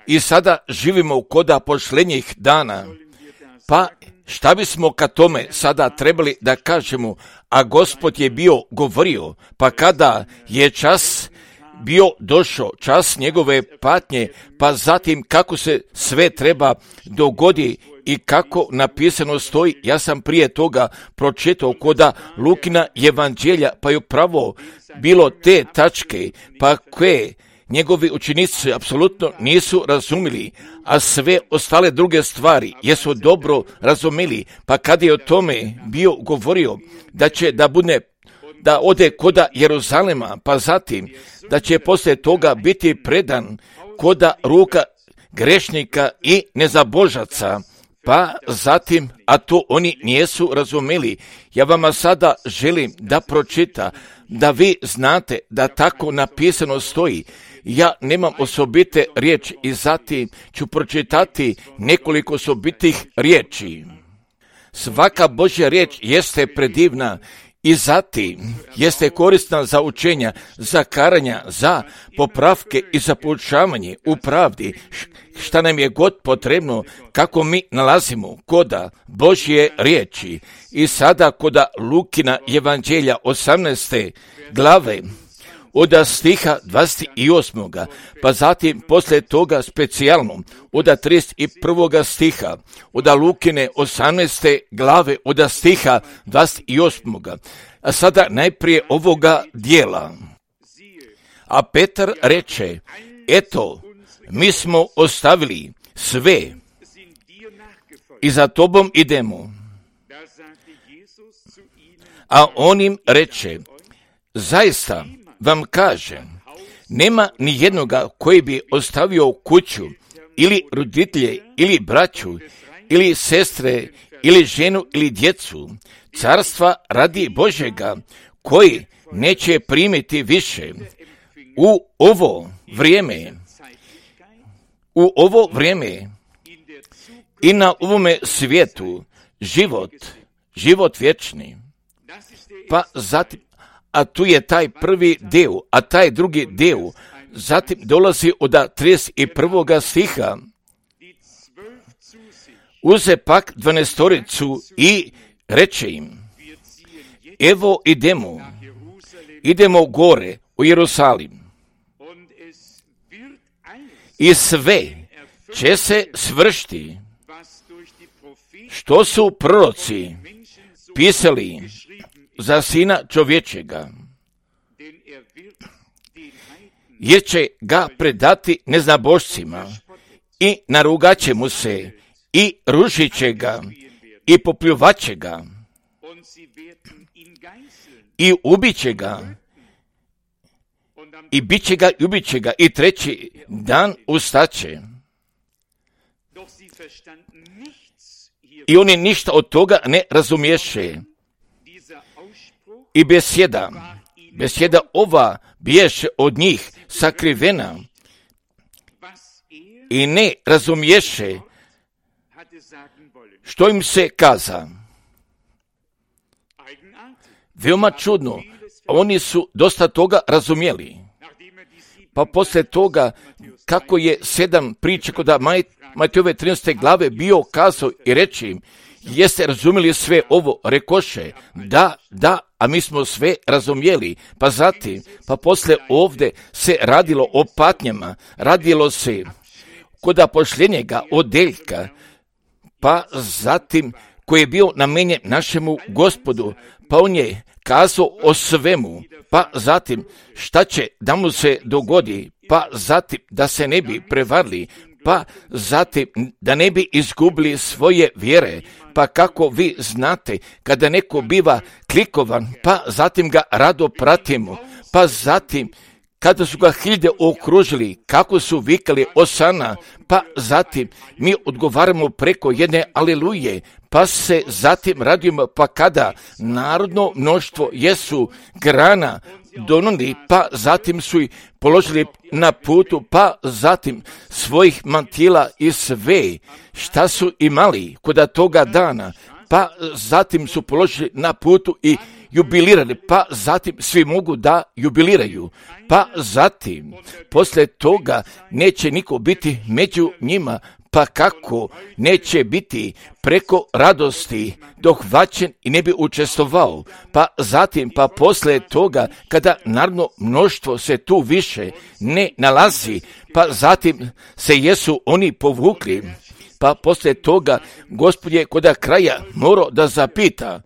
I sada živimo koda posljednjih dana. Pa šta bismo ka tome sada trebali da kažemo, a Gospod je bio govorio, pa kada je čas bio došao, čas njegove patnje, pa zatim kako se sve treba dogodi i kako napisano stoji, ja sam prije toga pročitao koda Lukina evanđelja, pa je upravo bilo te tačke, pa koje njegovi učenici apsolutno nisu razumili, a sve ostale druge stvari jesu dobro razumeli, pa kad je o tome bio govorio da će da ode koda Jeruzalema, pa zatim da će poslije toga biti predan koda ruka grešnika i nezabožaca, pa zatim, a to oni nisu razumeli. Ja vama sada želim da pročita, da vi znate da tako napisano stoji. Ja nemam osobite riječi i zatim ću pročitati nekoliko osobitih riječi. Svaka Božja riječ jeste predivna i zatim jeste korisna za učenja, za karanja, za popravke i za poučavanje u pravdi, šta nam je god potrebno kako mi nalazimo koda Božje riječi. I sada koda Lukina evanđelja 18. glave, od stiha 28. pa zatim poslije toga specijalno od 31. stiha, od Lukine 18. glave, od stiha 28. A sada najprije ovoga dijela. A Petar reče, eto, mi smo ostavili sve i za tobom idemo. A on im reče, zaista vam kažem, nema ni jednoga koji bi ostavio kuću, ili roditelje, ili braću, ili sestre, ili ženu, ili djecu, carstva radi Božjega, koji neće primiti više u ovo vrijeme i na ovome svijetu život vječni. Pa zatim, a tu je taj prvi deo, a taj drugi deo, zatim dolazi od 31. stiha. Uze pak 12 i reče im, evo idemo gore u Jerusalim i sve će se svršiti što su proroci pisali za Sina čovječega, jer će ga predati neznabošcima i narugat će mu se i rušit će ga i popljuvat će ga i ubit će ga i bit će ga i treći dan ustaće. I oni ništa od toga ne razumješe. I besjeda ova biješe od njih sakrivena i ne razumješe što im se kaza. Veoma čudno, oni su dosta toga razumjeli. Pa poslije toga, kako je 7 priča kod Matejove 13. glave bio kazao i reći im, jeste razumjeli sve ovo? Rekoše, da, a mi smo sve razumjeli. Pa zatim, pa poslije ovdje se radilo o patnjama, radilo se kod posljednjega odeljka, pa zatim koji je bio namenjen našemu Gospodu, pa on je kazao o svemu, pa zatim šta će da mu se dogodi, pa zatim da se ne bi prevarili, pa zatim da ne bi izgubili svoje vjere, pa kako vi znate, kada neko biva klikovan, pa zatim ga rado pratimo, pa zatim kada su ga hiljade okružili, kako su vikali Osana, pa zatim mi odgovaramo preko jedne aleluje, pa se zatim radimo, pa kada narodno mnoštvo jesu grana donuli, pa zatim su ih položili na putu, pa zatim svojih mantila i sve šta su imali kod toga dana, pa zatim su položili na putu i jubilirali, pa zatim svi mogu da jubiliraju, pa zatim poslije toga neće niko biti među njima, pa kako neće biti preko radosti dohvaćen i ne bi učestvovao, pa zatim pa poslije toga kada naravno mnoštvo se tu više ne nalazi, pa zatim se jesu oni povukli, pa poslije toga Gospod je kod kraja morao da zapita,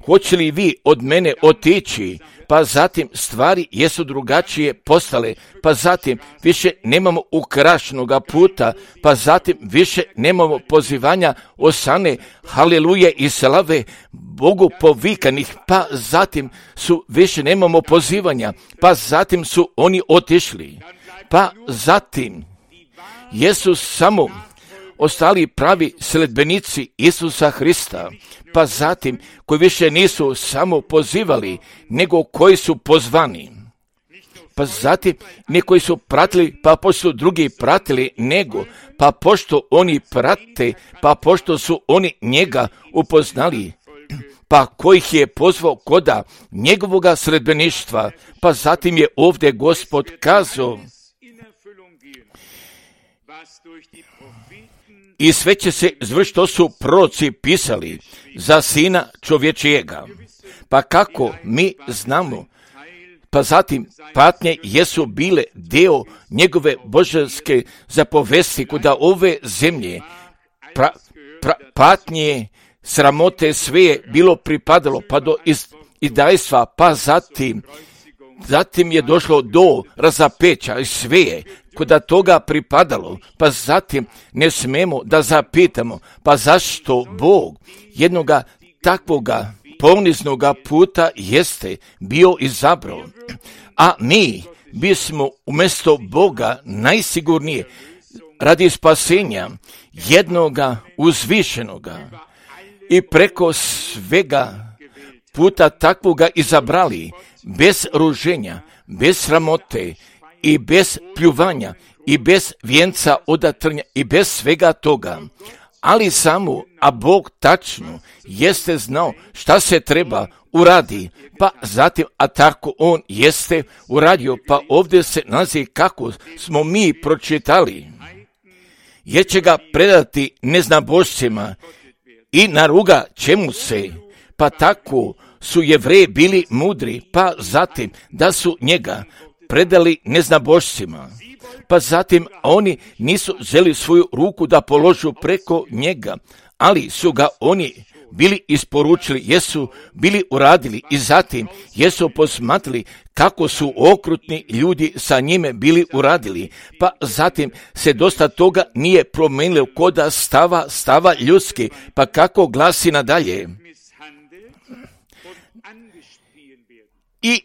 hoće li vi od mene otići, pa zatim stvari jesu drugačije postale, pa zatim više nemamo ukrašenoga puta, pa zatim više nemamo pozivanja osane, haleluje i slave Bogu povikanih, pa zatim više nemamo pozivanja, pa zatim su oni otišli, pa zatim jesu samo ostali pravi sledbenici Isusa Hrista, pa zatim koji više nisu samo pozivali, nego koji su pozvani. Pa zatim ne koji su pratili, pa pošto drugi pratili, nego pa pošto oni prate, pa pošto su oni njega upoznali, pa kojih je pozvao koda njegovoga sledbeništva, pa zatim je ovdje Gospod kazao, i sve će se izvršiti što su proroci pisali za Sina čovječijega. Pa kako mi znamo, pa zatim patnje jesu bile dio njegove božanske zapovesti kuda ove zemlje, patnje, sramote, sve je bilo pripadalo pa do izdajstva, pa zatim je došlo do razapeća i sve je kuda toga pripadalo, pa zatim ne smemo da zapitamo, pa zašto Bog jednoga takvoga poniznoga puta jeste bio izabrao, a mi bismo umjesto Boga najsigurnije radi spasenja jednoga uzvišenoga i preko svega puta takvoga izabrali, bez ruženja, bez sramote i bez pljuvanja i bez vijenca odatrnja i bez svega toga. Ali samo, a Bog tačno jeste znao šta se treba uradi, pa zatim, a tako on jeste uradio, pa ovdje se nalazi kako smo mi pročitali, jer će ga predati neznabošcima i naruga čemu se, pa tako su Jevreji bili mudri, pa zatim da su njega predali neznabošcima, pa zatim oni nisu želi svoju ruku da položu preko njega, ali su ga oni bili isporučili, jesu bili uradili i zatim jesu posmatrali kako su okrutni ljudi sa njime bili uradili, pa zatim se dosta toga nije promenilo koda stava ljudski, pa kako glasi nadalje. I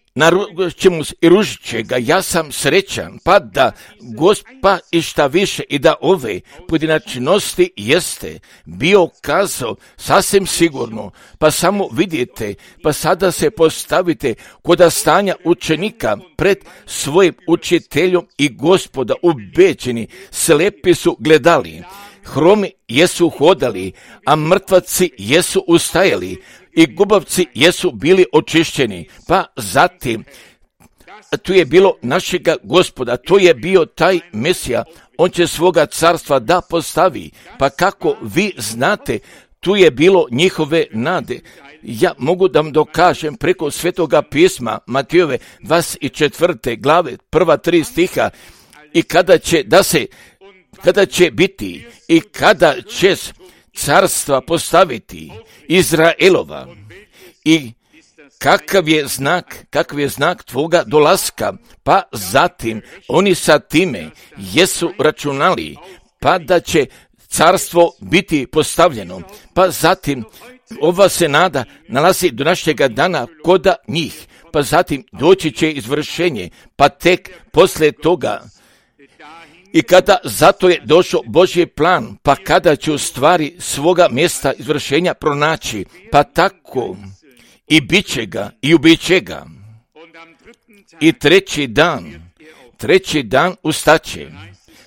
ružit će ga, ja sam srećan, pa da Gospa i šta više i da ove pojedinačnosti jeste bio kazao sasvim sigurno, pa samo vidite, pa sada se postavite koda stanja učenika pred svojim učiteljom i Gospoda ubeđeni, slepi su gledali, hromi jesu hodali, a mrtvaci jesu ustajali, i gubavci jesu bili očišćeni, pa zatim tu je bilo našega Gospoda, to je bio taj Mesija, on će svoga carstva da postavi, pa kako vi znate, tu je bilo njihove nade. Ja mogu da vam dokažem preko Svetoga pisma Matijove 24. glave, prva 3 stiha, i kada će biti i kada će carstva postaviti Izraelova i kakav je znak tvoga dolaska, pa zatim oni sa time jesu računali, pa da će carstvo biti postavljeno, pa zatim ova se nada nalazi do našega dana koda njih, pa zatim doći će izvršenje, pa tek poslije toga. I kada zato je došao Božji plan, pa kada će u stvari svoga mjesta izvršenja pronaći, pa tako i bit će ga i ubit će ga. I treći dan ustaće.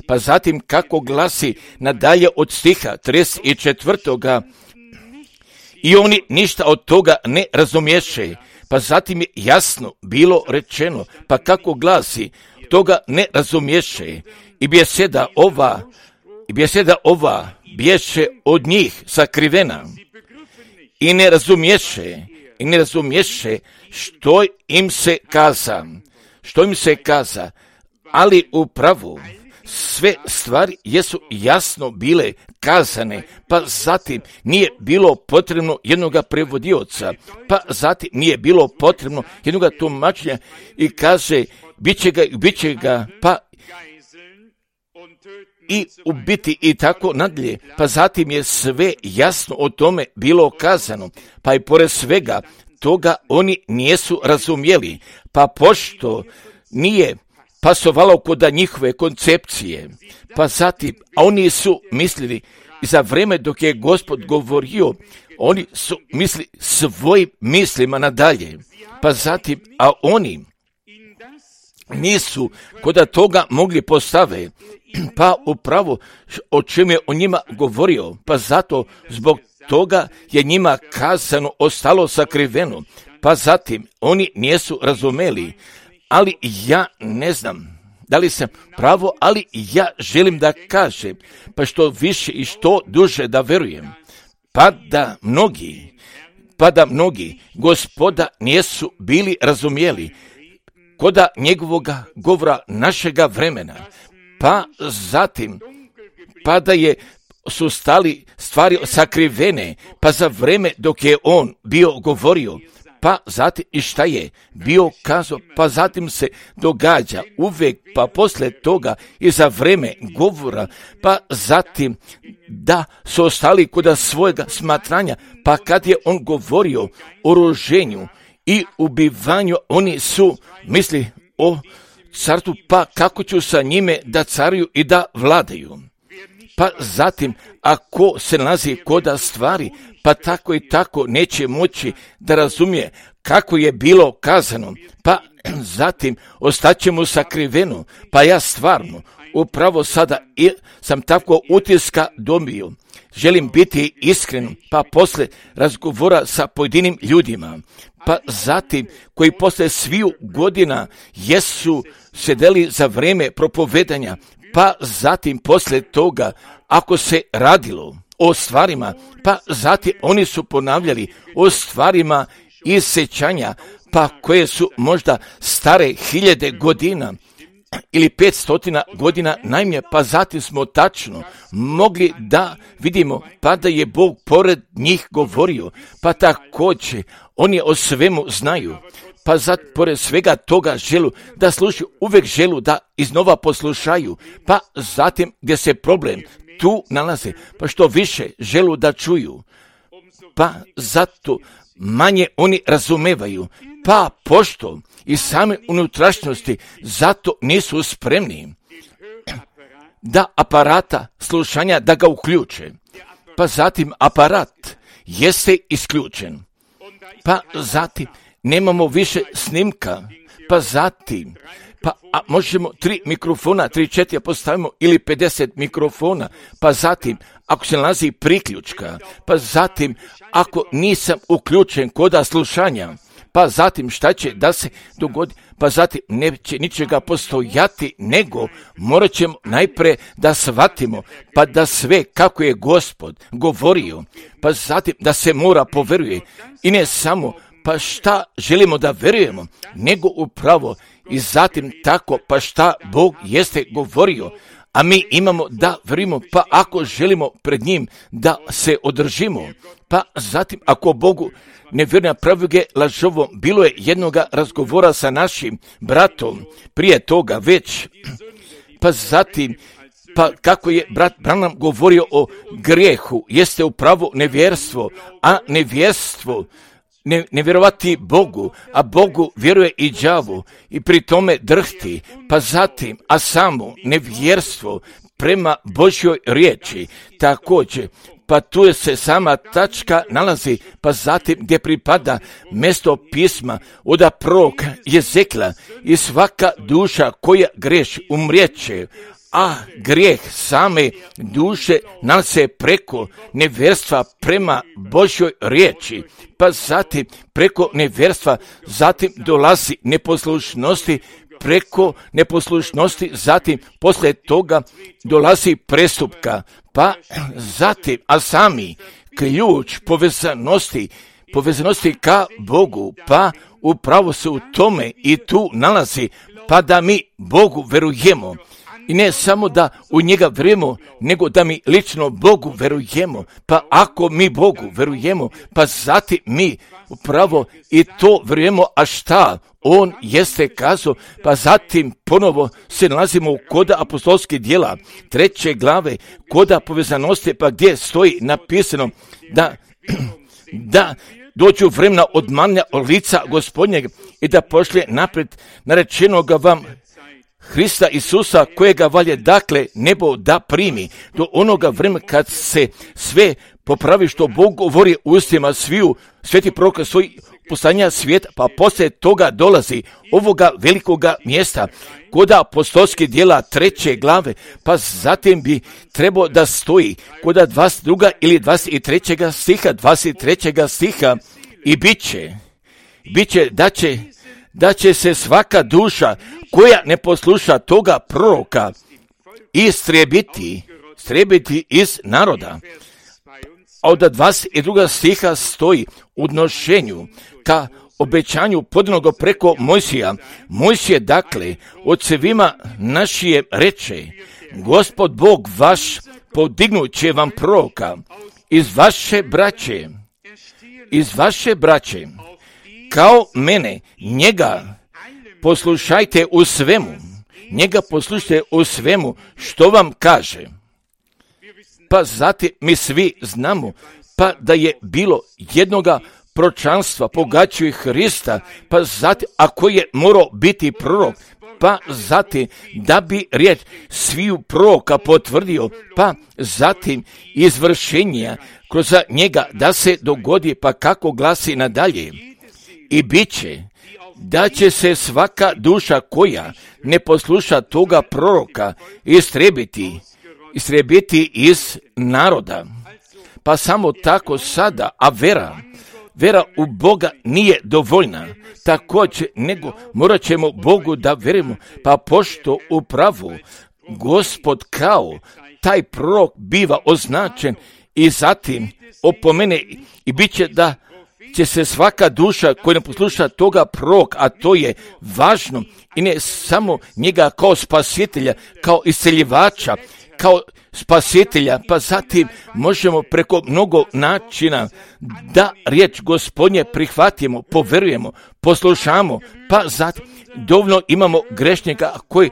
Pa zatim kako glasi nadalje od stiha 34. i oni ništa od toga ne razumješe. Pa zatim je jasno bilo rečeno, pa kako glasi, toga ne razumješe. I beseda ova bješe od njih sakrivena. I ne razumješe što im se kaza, ali upravo sve stvari jesu jasno bile kazane, pa zatim nije bilo potrebno jednoga prevodioca, pa zatim nije bilo potrebno jednoga tumačenja i kaže, bit će ga, pa i ubiti i tako nadalje, pa zatim je sve jasno o tome bilo kazano, pa i pored svega toga oni nisu razumjeli, pa pošto nije pasovalo kod njihove koncepcije, pa zatim, a oni su mislili, za vrijeme dok je Gospod govorio, oni su mislili svojim mislima nadalje, pa zatim, a oni nisu kod toga mogli postave, pa upravo o čem je o njima govorio, pa zato zbog toga je njima kazano ostalo sakriveno, pa zatim oni nisu razumeli, ali ja ne znam da li sam pravo, ali ja želim da kažem, pa što više i što duže da verujem, pa da mnogi Gospoda nisu bili razumjeli koda njegovoga govora našega vremena, pa zatim, pa da su stali stvari sakrivene, pa za vrijeme dok je on bio govorio, pa zatim i šta je bio kazao, pa zatim se događa uvijek, pa poslije toga i za vrijeme govora, pa zatim da su ostali kod svojega smatranja, pa kad je on govorio o roženju i ubivanju, oni su misli o carstvu, pa kako ću sa njime da caruju i da vladaju. Pa zatim, ako se nalazi koda stvari, pa tako i tako neće moći da razumije kako je bilo kazano, pa zatim ostaćemo sakriveno, pa ja stvarno upravo sada sam tako utiska dobio. Želim biti iskren, pa posle razgovora sa pojedinim ljudima, pa zatim koji posle sviju godina jesu sedeli za vrijeme propovedanja, pa zatim posle toga ako se radilo o stvarima, pa zatim oni su ponavljali o stvarima iz sećanja, pa koje su možda stare 1000 godina ili 500 godina najmanje, pa zatim smo tačno mogli da vidimo pa da je Bog pored njih govorio, pa također oni o svemu znaju, pa zatim pored svega toga želu da slušaju, uvijek želu da iznova poslušaju, pa zatim gdje se problem tu nalaze, pa što više želu da čuju, pa zato manje oni razumevaju, pa pošto i same unutrašnjosti zato nisu spremni da aparata slušanja da ga uključe, pa zatim aparat jeste isključen, pa zatim nemamo više snimka, pa zatim možemo 3 mikrofona, 3-4 postavimo ili 50 mikrofona, pa zatim ako se nalazi priključka, pa zatim ako nisam uključen koda slušanja, pa zatim šta će da se dogodi, pa zatim neće ničega postojati, nego morat ćemo najprije da shvatimo, pa da sve kako je Gospod govorio, pa zatim da se mora poveruje i ne samo pa šta želimo da verujemo, nego upravo i zatim tako pa šta Bog jeste govorio, a mi imamo da verujemo, pa ako želimo pred njim da se održimo, pa zatim ako Bogu ne vjerujemo pravige lažovo, bilo je jednoga razgovora sa našim bratom prije toga već, pa zatim pa kako je brat Branham govorio o grijehu, jeste upravo nevjerstvo, a nevjerstvo ne vjerovati Bogu, a Bogu vjeruje i đavu i pri tome drhti, pa zatim, a samo nevjerstvo prema Božjoj riječi također, pa tu je se sama tačka nalazi, pa zatim gdje pripada mjesto pisma od proroka Jezekla i svaka duša koja greši umrijeće, a grijeh same duše nalaze preko nevjerstva prema Božjoj riječi, pa zatim preko nevjerstva, zatim dolazi neposlušnosti, preko neposlušnosti, zatim poslije toga dolazi prestupka, pa zatim, a sami ključ povezanosti ka Bogu, pa upravo se u tome i tu nalazi, pa da mi Bogu verujemo. I ne samo da u njega vjerujemo, nego da mi lično Bogu verujemo. Pa ako mi Bogu verujemo, pa zatim mi upravo i to vjerujemo, a šta On jeste kazao, pa zatim ponovo se nalazimo kod apostolskih djela, 3. glave, kod povezanosti, pa gdje stoji napisano da dođu vremena odmanja od lica Gospodnjeg i da pošlje naprijed narečenoga vam Hrista Isusa, kojega valje dakle nebo da primi, do onoga vremena kad se sve popravi što Bog govori ustima sviju sveti proroka svoj poslanja svijeta, pa poslije toga dolazi ovoga velikoga mjesta kod apostolskih djela 3. glave, pa zatim bi trebao da stoji kod 22. ili 23. stiha i bit će da će se svaka duša koja ne posluša toga proroka istrijebiti iz naroda. A od 22. stiha stoji u odnošenju ka obećanju podanog preko Mojsija. Mojsije dakle ocevima našije reče, Gospod Bog vaš podignut će vam proroka iz vaše braće, kao mene, njega poslušajte u svemu što vam kaže. Pa zatim mi svi znamo pa da je bilo jednoga proročanstva pogađaju Hrista, pa zatim ako je morao biti prorok, pa zatim da bi riječ sviju proroka potvrdio, pa zatim izvršenja kroz njega da se dogodi, pa kako glasi nadalje. I bit će da će se svaka duša koja ne posluša toga proroka istrijebiti iz naroda. Pa samo tako sada, a vera u Boga nije dovoljna. Također, nego morat ćemo Bogu da verujemo, pa pošto upravo Gospod kao taj prorok biva označen i zatim opomene i bit će da će se svaka duša koja ne posluša toga proroka, a to je važno, i ne samo njega kao spasitelja, kao isceljivača, kao spasitelja, pa zatim možemo preko mnogo načina da riječ Gospodnje prihvatimo, poverujemo, poslušamo, pa zatim dovoljno imamo grešnika koji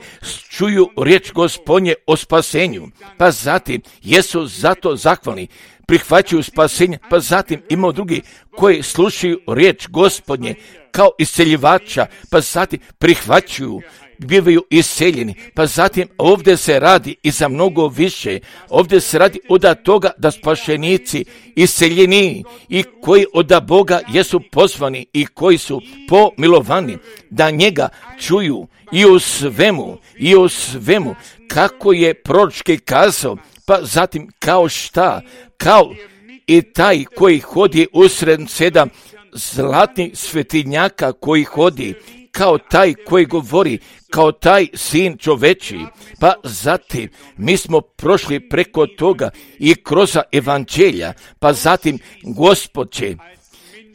čuju riječ Gospodnje o spasenju, pa zatim jesu zato zahvalni, prihvaćaju spasenje, pa zatim imamo drugi koji slušaju riječ Gospodnje kao isceljivača, pa zatim prihvaćaju, bivaju isceljeni, pa zatim ovdje se radi i za mnogo više. Ovdje se radi od toga da spašenici isceljeni i koji od Boga jesu pozvani i koji su pomilovani da njega čuju i u svemu kako je proročki kazao, pa zatim kao šta, kao i taj koji hodi usred 7 zlatnih svetinjaka koji hodi, kao taj koji govori, kao taj sin čoveči. Pa zatim mi smo prošli preko toga i kroz evanđelja, pa zatim Gospod će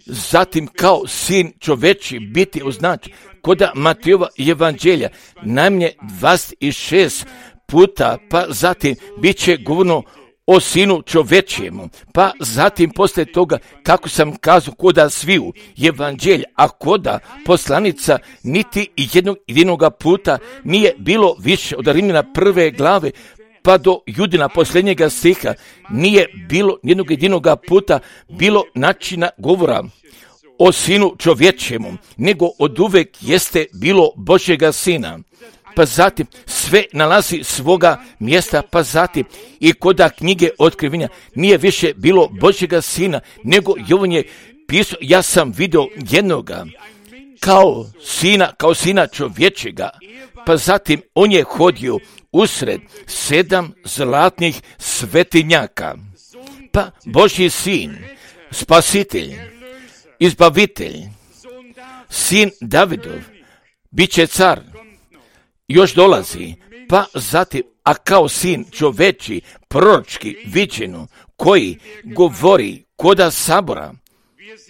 zatim kao sin čoveči biti označen kod Matejova evanđelja najmanje 26 puta, pa zatim bit će govorno o sinu čovečijemu, pa zatim poslije toga, kako sam kazao, koda sviju evanđelja, a koda poslanica niti jedinoga puta nije bilo više od Rimljana 1. glave pa do Judina posljednjega stiha, nije bilo jednog jedinoga puta bilo načina govora o sinu čovječemu, nego od uvek jeste bilo Božjega sina. Pa zatim sve nalazi svoga mjesta, pa zatim i koda knjige otkrivenja nije više bilo Božjega sina, nego Jovan je pisao, ja sam vidio jednoga kao sina čovječega, pa zatim on je hodio usred 7 zlatnih svetinjaka. Pa Božji sin, spasitelj, izbavitelj, sin Davidov, bit će car, još dolazi, pa zatim, a kao sin čoveči, proročki viđeno, koji govori koda sabora,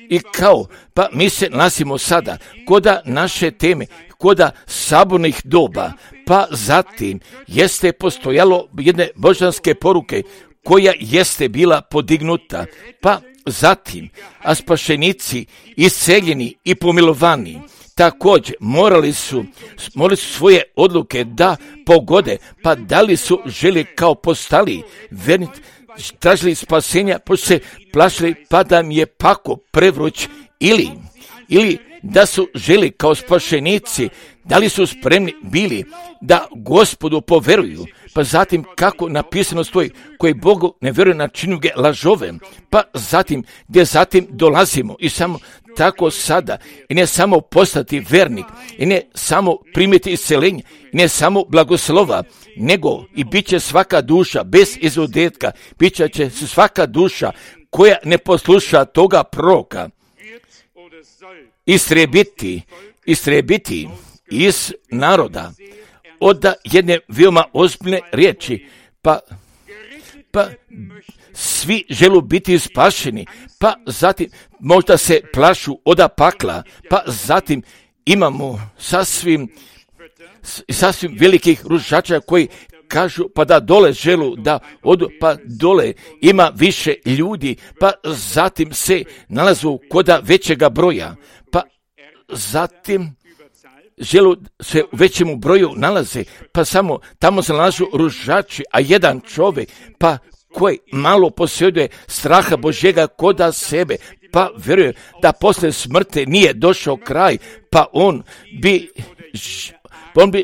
i kao, pa mi se nalazimo sada koda naše teme, koda sabornih doba, pa zatim jeste postojalo jedne božanske poruke koja jeste bila podignuta, pa zatim, a spašenici isceljeni i pomilovani također morali su svoje odluke da pogode, pa da li su želi kao postali verni, tražili spasenja, pošto se plašili pa da mi je pako prevruć, ili da su želi kao spašenici, da li su spremni bili da Gospodu poveruju, pa zatim kako napisano stoji, koji Bogu ne vjeruje na činu ga lažove, pa zatim gdje zatim dolazimo i samo tako sada, i ne samo postati vernik, i ne samo primiti isceljenje, i ne samo blagoslova, nego i bit će svaka duša bez izuzetka, bit će svaka duša koja ne posluša toga proroka istrebiti iz naroda od jedne veoma ozbiljne riječi, pa svi žele biti spašeni, pa zatim možda se plašu od pakla, pa zatim imamo sasvim velikih rušača koji kažu pa da dole želu da odu, pa dole ima više ljudi, pa zatim se nalazu koda većega broja, pa zatim želu se u većemu broju nalaze, pa samo tamo se nalažu rušači, a jedan čovjek, pa koji malo posjeduje straha Božjega koda sebe, pa vjeruje da posle smrti nije došao kraj, pa on bi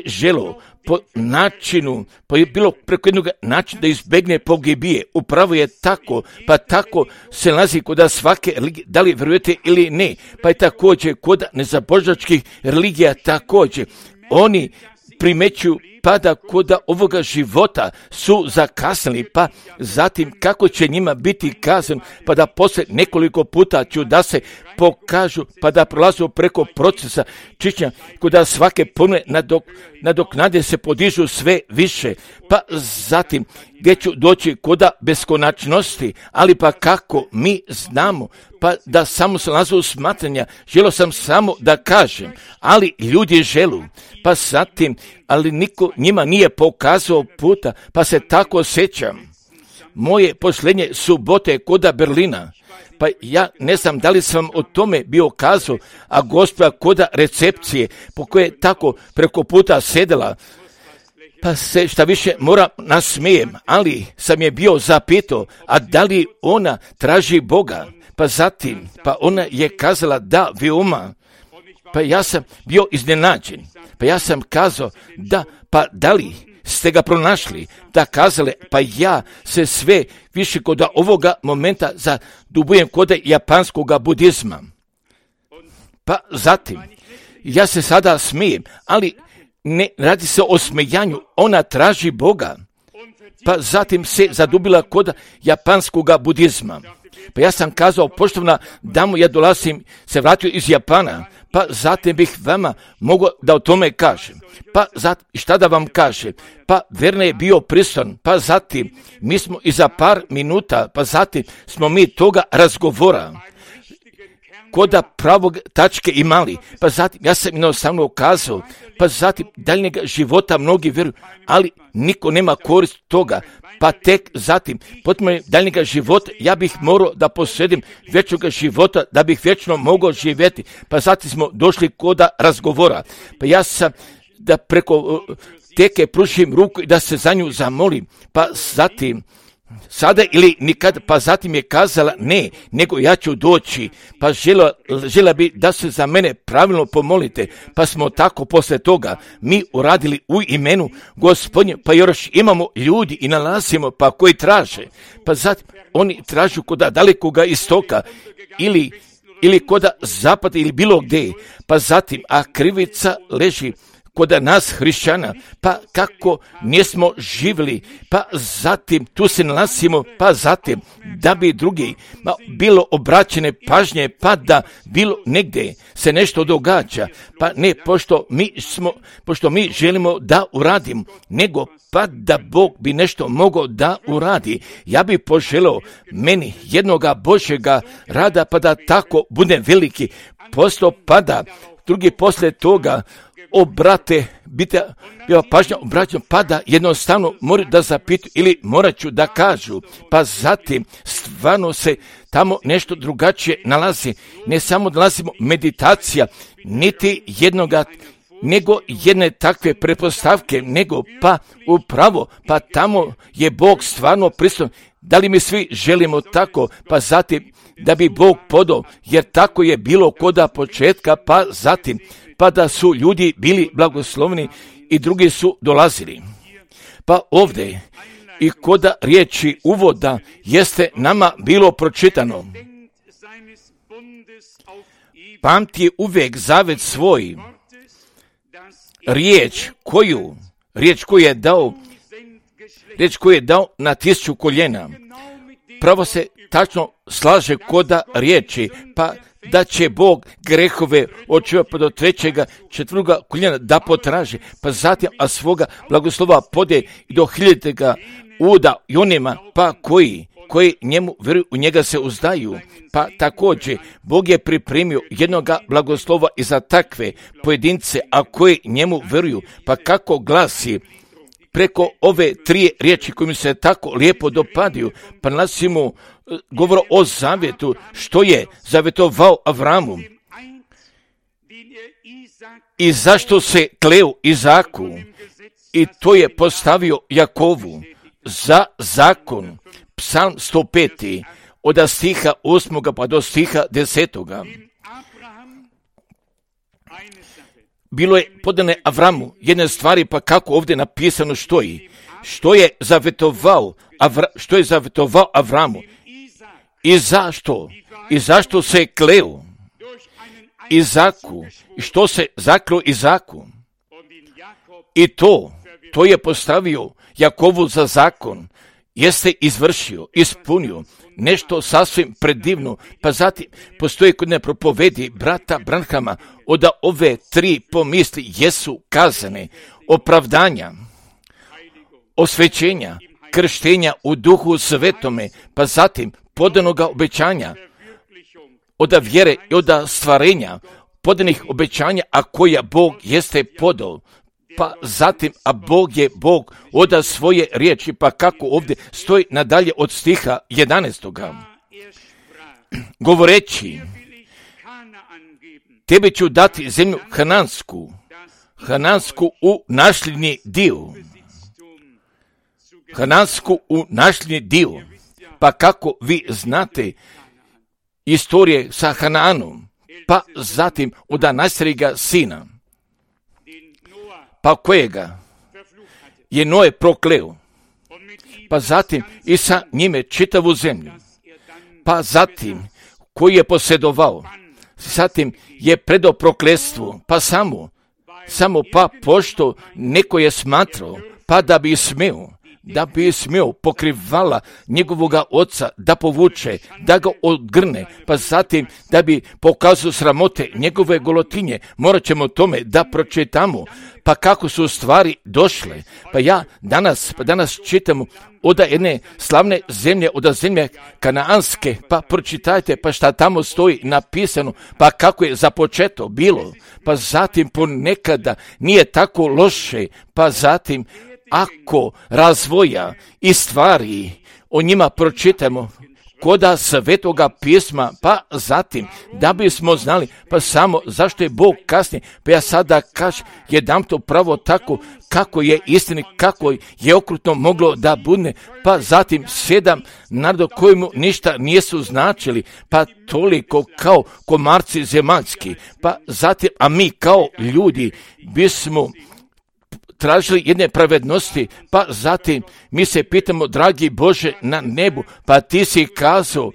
želio po načinu, pa je bilo preko jednog načina da izbegne pogibije. Upravo je tako, pa tako se nalazi kod svake religije, da li vjerujete ili ne, pa je također kod nezabožačkih religija također. Oni primećuju pa da kod ovoga života su zakasnili, pa zatim kako će njima biti kazan, pa da poslije nekoliko puta ću da se pokažu, pa da prolazu preko procesa čišćenja, kod svake pomne nadoknade se podižu sve više, pa zatim gdje ću doći kod beskonačnosti, ali pa kako mi znamo, pa da samo se nalazu smatranja, želio sam samo da kažem, ali ljudi želu, pa zatim, ali niko njima nije pokazao puta, pa se tako sjećam. Moje posljednje subote koda Berlina, pa ja ne znam da li sam o tome bio kazao, a gospođa koda recepcije, po koje je tako preko puta sedela, pa se šta više mora nasmijem, ali sam je bio zapitao, a da li ona traži Boga, pa zatim, pa ona je kazala da veoma, pa ja sam bio iznenađen, pa ja sam kazao da, pa da li ste ga pronašli, da kazale, pa ja se sve više kod ovoga momenta zadubujem kod japanskog budizma. Pa zatim, ja se sada smijem, ali ne radi se o smijanju, ona traži Boga, pa zatim se zadubila kod japanskog budizma. Pa ja sam kazao, poštovana damo, ja dolazim, se vratio iz Japana, pa zatim bih vama mogao da o tome kažem. Pa zatim, šta da vam kažem? Pa Verne je bio prisutan, pa zatim mi smo i za par minuta, pa zatim smo mi toga razgovora koda pravog tačke imali, pa zatim ja sam jednostavno kazao, pa zatim daljnjega života mnogi vjeruju, ali niko nema korist toga, pa tek zatim, potom daljnjega života, ja bih morao da posjedim vječnog života, da bih vječno mogao živjeti, pa zatim smo došli koda razgovora, pa ja sam da preko teke pružim ruku i da se za nju zamolim, pa zatim, sada ili nikad, pa zatim je kazala ne, nego ja ću doći, pa žela bi da se za mene pravilno pomolite, pa smo tako posle toga mi uradili u imenu Gospodnje, pa još imamo ljudi i nalazimo pa koji traže, pa zatim oni tražu kod dalekoga istoka ili kod zapada ili bilo gdje, pa zatim, a krivica leži kod nas hrišćana, pa kako nismo živjeli, pa zatim tu se nalazimo, pa zatim da bi drugi bilo obraćene pažnje, pa da bilo negdje se nešto događa, pa ne pošto mi želimo da uradimo, nego pa da Bog bi nešto mogao da uradi. Ja bi poželio meni jednoga Božjega rada, pa da tako bude veliki posto, pa da drugi poslije toga pažnja obraćam, pa da jednostavno moraju da zapitaju ili morat ću da kažu, pa zatim stvarno se tamo nešto drugačije nalazi. Ne samo nalazimo meditacija, niti jednoga, nego jedne takve pretpostavke, nego pa upravo, pa tamo je Bog stvarno prisutan. Da li mi svi želimo tako, pa zatim da bi Bog podao, jer tako je bilo koda početka, pa zatim, pa da su ljudi bili blagoslovni i drugi su dolazili. Pa ovdje i koda riječi uvoda jeste nama bilo pročitano. Pamti uvijek zavet svoj, riječ koju je dao na 1000 koljena. Pravo se tačno slaže koda riječi, pa da će Bog grehove od čovjeka do 3., 4. koljena da potraži, pa zatim a svoga blagoslova pode i do 1000. uda i onima pa koji njemu vjeruju, u njega se uzdaju. Pa također Bog je pripremio jednoga blagoslova i za takve pojedince, a koji njemu vjeruju. Pa kako glasi preko ove 3 riječi koje mi se tako lijepo dopadaju, pa nalazimo govor o zavjetu, što je zavjetovao Avramu i zašto se kleo Izaku, i to je postavio Jakovu za zakon. Psalm 105. od stiha 8. pa do stiha 10. Bilo je podane Avramu jedne stvari, pa kako ovdje napisano stoji. Što je zavjetovao Avramu i zašto? I zašto se kleo Izaku? I što se zakleo Izaku? I to je postavio Jakovu za zakon. Jeste izvršio, ispunio nešto sasvim predivno, pa zatim postoji kod ne propovedi brata Branhama od ove 3 pomisli jesu kazane: opravdanja, osvećenja, krštenja u Duhu Svetome, pa zatim podanoga obećanja, od vjere i od stvarenja, podanih obećanja, a koja Bog jeste podao. Pa zatim, a Bog je Bog od svoje riječi, pa kako ovdje stoji nadalje od stiha 11. Govoreći, tebi ću dati zemlju Hanansku u nasljedni dio. Pa kako vi znate istorije sa Hanaanom, pa zatim od najstarijega sina, pa kojega je Noe prokleo, pa zatim i sa njime čitavu zemlju, pa zatim koji je posjedovao, zatim je predao prokletstvu, pa samo pa pošto neko je smatrao, pa da bi smio pokrivala njegovoga oca da povuče, da ga odgrne, pa zatim da bi pokazao sramote njegove golotinje. Morat ćemo tome da pročitamo, pa kako su stvari došle. Pa danas čitamo od jedne slavne zemlje, od zemlje Kanaanske, pa pročitajte pa šta tamo stoji napisano, pa kako je započeto bilo, pa zatim ponekada nije tako loše, pa zatim ako razvoja i stvari o njima pročitamo koda Svetoga pisma, pa zatim da bismo znali, pa samo zašto je Bog kasnije, pa ja sada kažem, jedam to pravo tako kako je istini, kako je okrutno moglo da bude, pa zatim 7 naroda kojemu ništa nisu značili, pa toliko kao komarci zemaljski, pa zatim, a mi kao ljudi bismo tražili jedne pravednosti, pa zatim mi se pitamo, dragi Bože na nebu, pa ti si kazao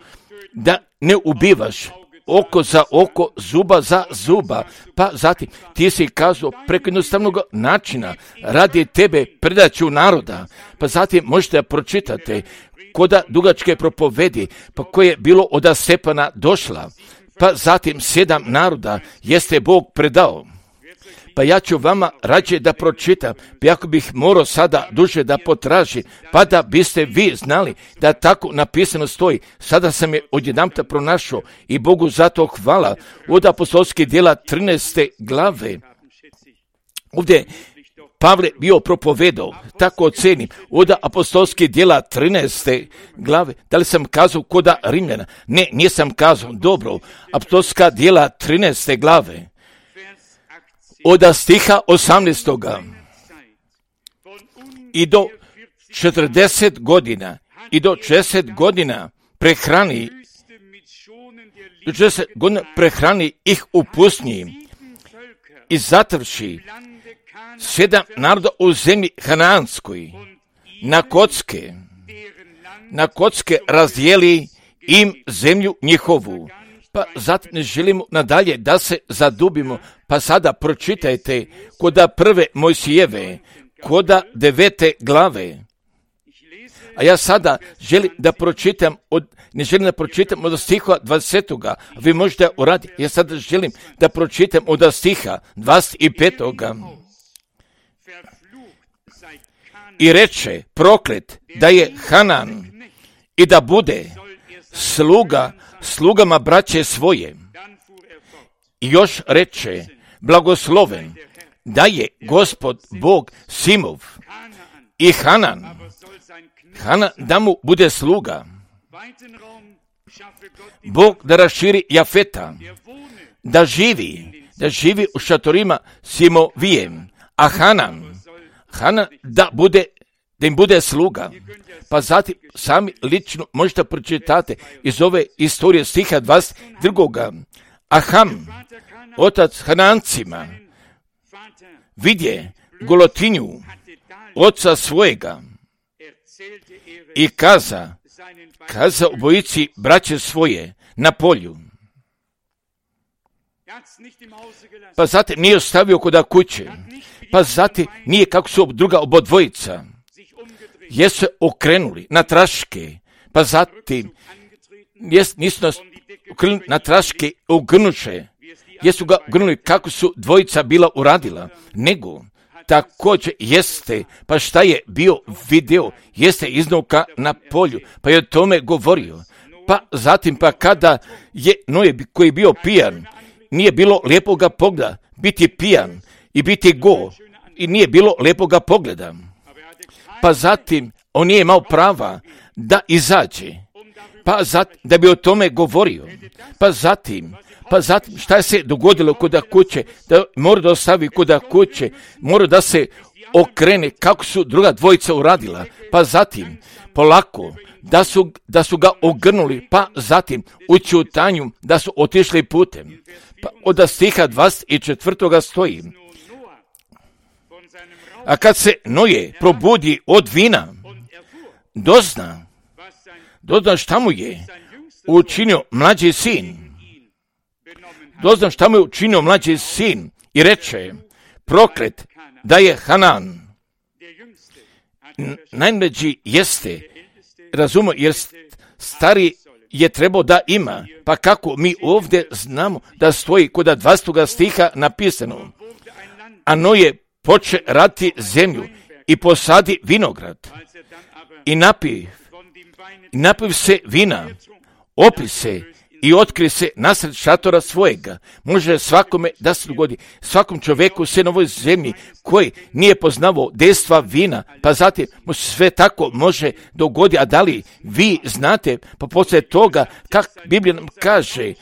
da ne ubivaš, oko za oko, zuba za zuba. Pa zatim ti si kazao preko jednostavnog načina, radi tebe predaću naroda. Pa zatim možete pročitati koda dugačke propovedi, pa koje je bilo od Stepana došla. Pa zatim 7 naroda jeste Bog predao. Pa ja ću vama rađe da pročitam, pa ako bih morao sada duže da potraži, pa da biste vi znali da tako napisano stoji. Sada sam je odjedanput pronašao i Bogu zato hvala. Od apostolskih djela 13. glave. Ovdje Pavle bio propovedao, tako ocenim, od apostolskih djela 13. glave. Da li sam kazao koda Rimljana? Ne, nisam kazao. Dobro, apostolska djela 13. glave. Od stiha 18. I do 40 godina, i do 60 godina prehrani, do 60 godina prehrani ih u pustinji i zatrši 7 naroda u zemlji Hanaanskoj, na kocke razdijeli im zemlju njihovu. Pa zato ne želimo nadalje da se zadubimo, pa sada pročitajte koda prve Mojsijeve, koda 9. glave. A ja sada želim da pročitam ne želim da pročitam od stiha 20. Vi možete uraditi. Ja sada želim da pročitam od stiha 25. I reče, proklet da je Hanan i da bude slugama braće svoje. I još reče, blagosloven da je Gospod Bog Simov i Hanan da mu bude sluga. Bog da raširi Jafeta, da živi u šatorima Simovijem, a Hanan da im bude sluga. Pa zatim sami lično možete pročitati iz ove istorije stiha 22. A Ham, otac Hanancima, vidje golotinju oca svojega i kaza obojici braće svoje na polju. Pa zatim nije ostavio koda kuće. Pa zatim nije kako su druga obodvojica. Jesu se okrenuli na traške. Pa zatim nisu nas okrenuli na traške ugrnuše. Jesu ga ugrnuli kako su dvojica bila uradila. Nego također jeste, pa šta je bio video, jeste iznuka na polju, pa je o tome govorio. Pa zatim pa kada je Noe koji je bio pijan, nije bilo lijepoga pogleda, biti pijan i biti go, i nije bilo lijepoga pogleda. Pa zatim on nije imao prava da izađe, pa zatim da bi o tome govorio. Pa zatim šta se dogodilo kod kuće, da mora da ostavi kod kuće, mora da se okrene kako su druga dvojica uradila, pa zatim polako da su ga ogrnuli, pa zatim u ćutanju da su otišli putem. Pa od stiha 24. stoji, a kad se Noe probudi od vina, dozna šta mu je učinio mlađi sin. Dozna šta mu je učinio mlađi sin i reče, proklet da je Hanan. Najmlađi jeste, razumio, jer stari je trebao da ima, pa kako mi ovdje znamo da stoji kod 20. stiha napisano, a Noe poče raditi zemlju i posadi vinograd i napiv se vina, opi se i otkri se nasred šatora svojega. Može svakome da se dogodi, svakom čovjeku se na ovoj zemlji koji nije poznavao dejstva vina, pa zatim mu sve tako može dogoditi. A da li vi znate, pa poslije toga, kako Biblija nam kaže,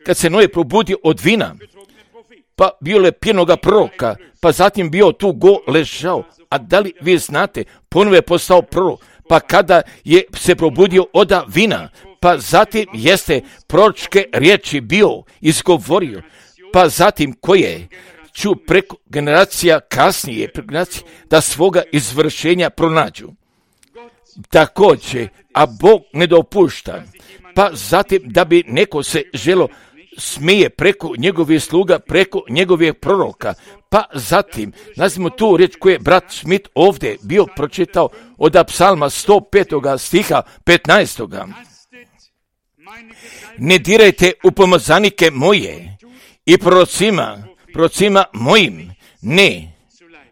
kad se Noe probudio od vina, pa bio je pijenoga proroka, pa zatim bio tu go ležao. A da li vi znate, ponovo je postao prorok, pa kada je se probudio od vina, pa zatim proročke riječi bio izgovorio, pa zatim koje ću preko generacija kasnije da svoga izvršenja pronađu. Također, a Bog ne dopušta, pa zatim da bi neko se želo smije preko njegovih sluga, preko njegovih proroka, pa zatim, nazvimo tu riječ koju je brat Schmidt ovdje bio pročitao od Psalma 105. stiha 15. Ne dirajte u pomazanike moje i prorocima mojim, ne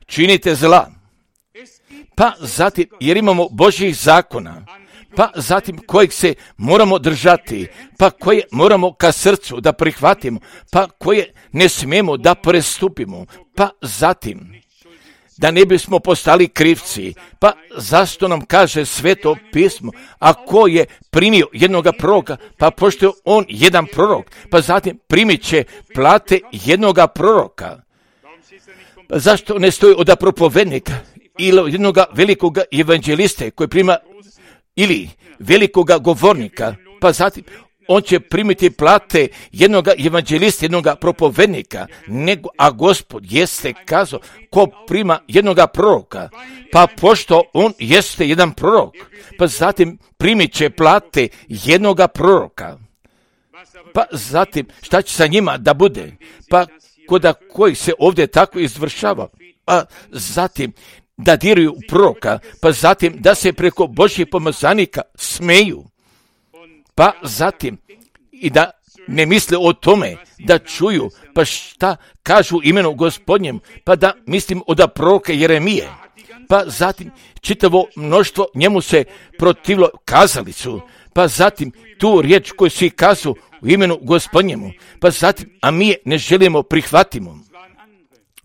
činite zla. Pa zatim, jer imamo Božjih zakona, pa zatim kojeg se moramo držati, pa koje moramo ka srcu da prihvatimo, pa koje ne smijemo da prestupimo, pa zatim da ne bismo postali krivci, pa zašto nam kaže Sveto pismo, ako je primio jednoga proroka, pa pošto je on jedan prorok, pa zatim primit će plate jednoga proroka. Pa zašto ne stoji od propovednika ili jednoga velikoga evanđeliste koji prima ili velikoga govornika, pa zatim on će primiti plate jednoga evanđelista, jednoga propovednika, a Gospod jeste kazao ko prima jednoga proroka, pa pošto on jeste jedan prorok, pa zatim primit će plate jednoga proroka. Pa zatim šta će sa njima da bude? Pa koda koji se ovdje tako izvršava, pa zatim da diraju proroka, pa zatim da se preko Božjih pomazanika smeju, pa zatim i da ne misle o tome, da čuju, pa šta kažu imenu Gospodnjem, pa da mislim od proroka Jeremije, pa zatim čitavo mnoštvo njemu se protivilo, kazali su, pa zatim tu riječ koju svi kazu u imenu Gospodnjemu, pa zatim, a mi je ne želimo prihvatimo.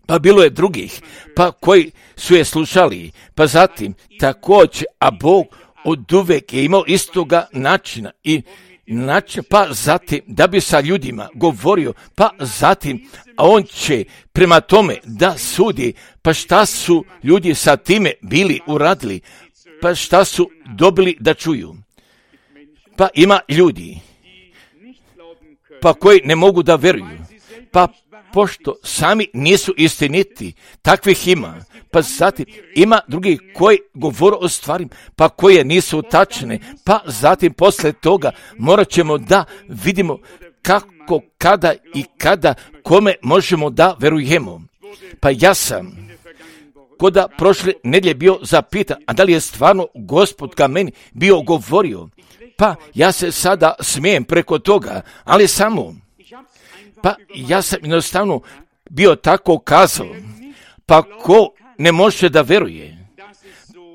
Pa bilo je drugih, pa koji su je slušali, pa zatim također, a Bog od uvek je imao istoga načina pa zatim da bi sa ljudima govorio, pa zatim, a on će prema tome da sudi, pa šta su ljudi sa time bili uradili, pa šta su dobili da čuju. Pa ima ljudi, pa koji ne mogu da veruju, pa pošto sami nisu istiniti, takvih ima, pa zatim ima drugih koji govore o stvarima, pa koje nisu tačne, pa zatim posle toga morat ćemo da vidimo kako, kada i kada, kome možemo da verujemo. Pa ja sam koda prošle nedjelje bio zapitan, a da li je stvarno Gospod ka meni bio govorio, pa ja se sada smijem preko toga, ali samo pa ja sam jednostavno bio tako kazao, pa ko ne može da veruje,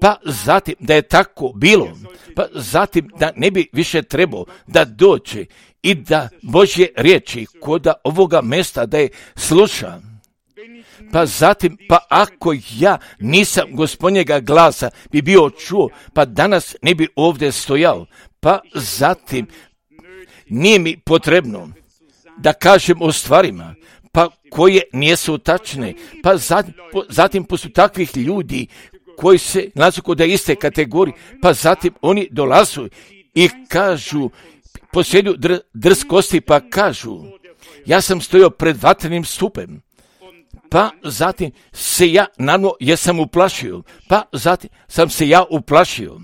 pa zatim da je tako bilo, pa zatim da ne bi više trebao da dođe i da Božje riječi koda ovoga mesta da je sluša. Pa zatim, pa ako ja nisam Gospodnjega glasa bi bio čuo, pa danas ne bi ovdje stojao, pa zatim nije mi potrebno da kažem o stvarima, pa koje nisu tačne, pa zatim poslije takvih ljudi koji se nalaze kod iste kategorije, pa zatim oni dolazu i kažu, posjeduju drskosti, pa kažu, ja sam stojao pred vatrenim stupem, pa zatim se ja naravno jesam uplašio, pa zatim sam se ja uplašio.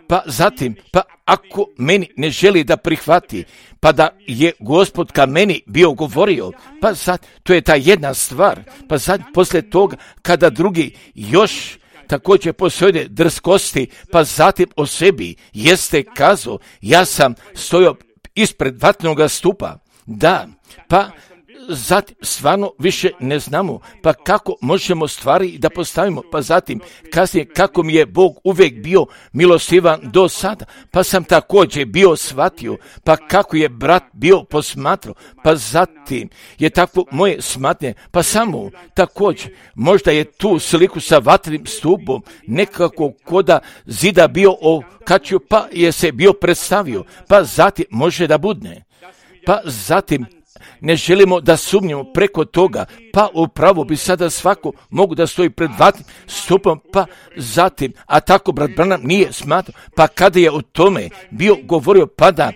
Pa zatim, pa ako meni ne želi da prihvati, pa da je Gospod ka meni bio govorio, pa zatim, to je ta jedna stvar, pa zatim poslije toga, kada drugi još također posjede drskosti, pa zatim o sebi jeste kazao, ja sam stojao ispred vatrenog stupa, da, pa zatim stvarno više ne znamo, pa kako možemo stvari da postavimo, pa zatim kasnije kako mi je Bog uvijek bio milostivan do sada, pa sam također bio shvatio, pa kako je brat bio posmatrao, pa zatim je tako moje smatnje, pa samo također, možda je tu sliku sa vatrenim stupom nekako koda zida bio okačio, pa je se bio predstavio, pa zatim može da budne, pa zatim ne želimo da sumnjamo preko toga, pa upravo bi sada svako mogu da stoji pred vatnim stupom, pa zatim, a tako brat Branham nije smatrao, pa kada je o tome bio govorio, pa da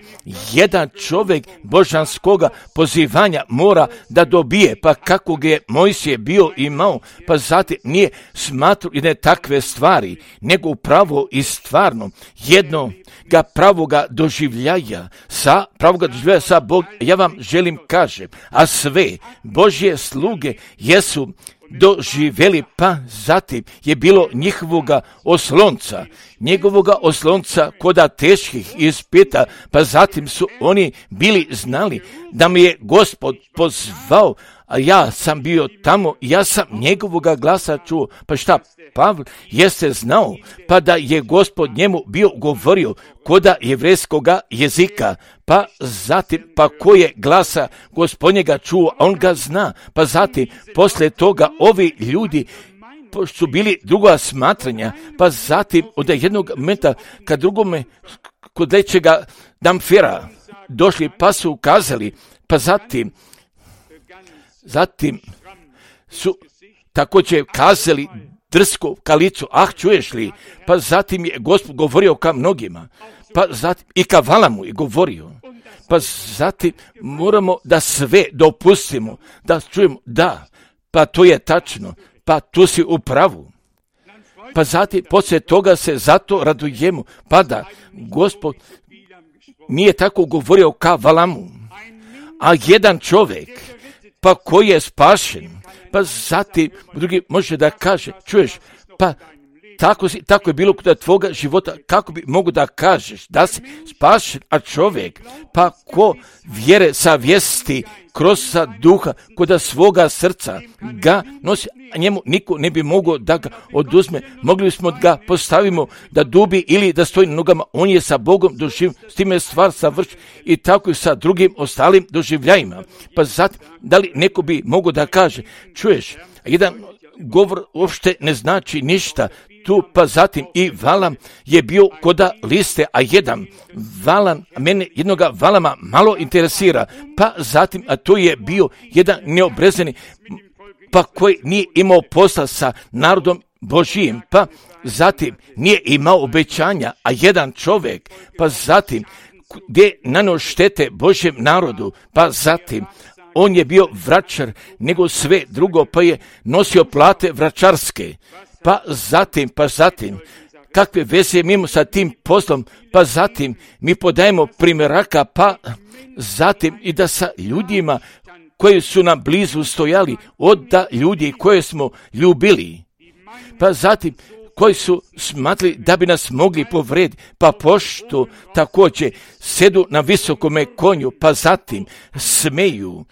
jedan čovjek božanskoga pozivanja mora da dobije, pa kako ga je Mojsije bio imao, pa zatim nije smatrao jedne takve stvari, nego upravo i stvarno jednoga pravoga doživljaja sa Bog. Ja vam želim kažem, a sve Božje sluge jesu doživjeli, pa zatim je bilo njegovoga oslonca koda teških ispita, pa zatim su oni bili znali da mi je Gospod pozvao, a ja sam bio tamo, ja sam njegovoga glasa čuo. Pa šta, Pavle jeste znao, pa da je Gospod njemu bio govorio koda jevrejskoga jezika, pa zatim, pa ko je glasa Gospodnjega čuo, on ga zna, pa zatim, poslije toga ovi ljudi su bili druga smatranja, pa zatim od jednog momenta ka drugome kod lećega Damfera došli, pa su ukazali, pa zatim su također kazali drsko ka licu, čuješ li, pa zatim je Gospod govorio ka mnogima, pa zatim i ka Valamu je govorio, pa zatim moramo da sve dopustimo, da čujemo, da, pa to je tačno, pa tu si u pravu. Pa zatim, poslije toga se zato radujemo, pa da Gospod nije tako govorio ka Valamu, a jedan čovjek, pa koji je spašen, pa zatim drugi može da kaže, čuješ, pa tako je bilo kod tvoga života, kako bi mogu da kažeš da si spašen, a čovjek, pa ko vjere savjesti kroz duha, kod svoga srca ga nosi, a njemu niko ne bi mogao da ga oduzme. Mogli smo da ga postavimo da dubi ili da stoji na nogama, on je sa Bogom doživio, s time je stvar savršena i tako i sa drugim ostalim doživljajima. Pa zatim, da li neko bi mogao da kaže, čuješ, jedan govor uopšte ne znači ništa, tu, pa zatim i Valam je bio koda liste, a mene jednoga Valama malo interesira, pa zatim, a to je bio jedan neobrezani, pa koji nije imao posla sa narodom Božijim, pa zatim nije imao obećanja, a jedan čovjek, pa zatim gdje nanio štete Božjem narodu, pa zatim on je bio vračar nego sve drugo, pa je nosio plate vračarske, pa zatim, kakve veze mi imamo sa tim poslom, pa zatim mi podajemo primjeraka, pa zatim i da sa ljudima koji su nam blizu stojali, od ljudi koje smo ljubili, pa zatim koji su smatrali da bi nas mogli povrediti, pa pošto također sedu na visokome konju, pa zatim smeju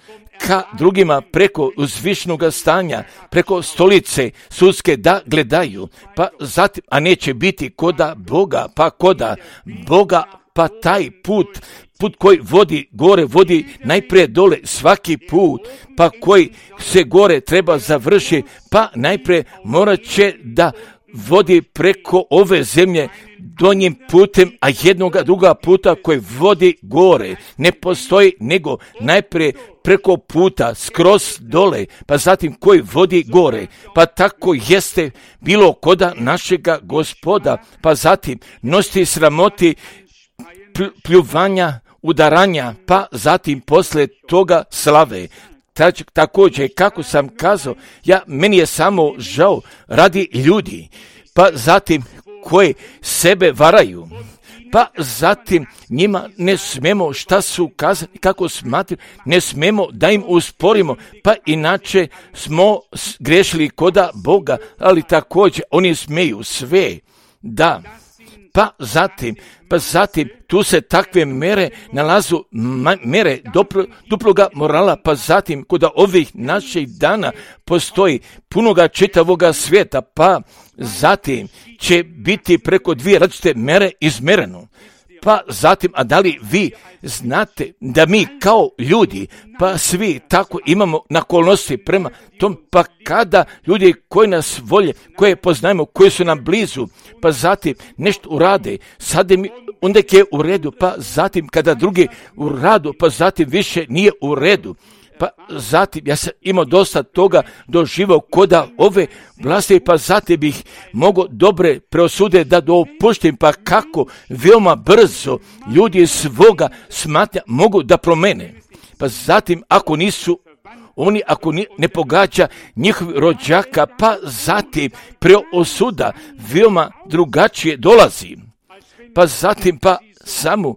ka drugima preko uzvišnoga stanja, preko stolice sudske da gledaju, pa zatim, a neće biti koda Boga, pa taj put koji vodi gore, vodi najprije dole svaki put, pa koji se gore treba završiti, pa najprije morat će da vodi preko ove zemlje donjim putem, a jednoga druga puta koji vodi gore ne postoji, nego najprije preko puta skroz dole, pa zatim koji vodi gore, pa tako jeste bilo koda našega Gospoda, pa zatim nositi sramoti, pljuvanja, udaranja, pa zatim posle toga slave. Također, kako sam kazao, meni je samo žao radi ljudi, pa zatim koji sebe varaju, pa zatim njima ne smemo šta su kazali, kako smatraju, ne smemo da im usporimo, pa inače smo grešili koda Boga, ali također oni smeju sve, da. Pa zatim tu se takve mere nalazu, mere duploga morala, pa zatim kod ovih naših dana postoji punoga čitavoga svijeta, pa zatim će biti preko dvije različite mere izmereno. Pa zatim, a da li vi znate da mi kao ljudi, pa svi tako imamo naklonosti prema tom, pa kada ljudi koji nas volje, koje poznajemo, koji su nam blizu, pa zatim nešto urade, sad mi onda je u redu, pa zatim kada drugi u radu, pa zatim više nije u redu. Pa zatim, ja sam imao dosta toga doživao koda ove vlasti, pa zatim bih mogao dobre preosude da dopuštim, pa kako veoma brzo ljudi svoga smatnja mogu da promene. Pa zatim, ako nisu oni, ako ne pogađa njihovi rođaka, pa zatim preosuda veoma drugačije dolazi. Pa zatim, pa samo,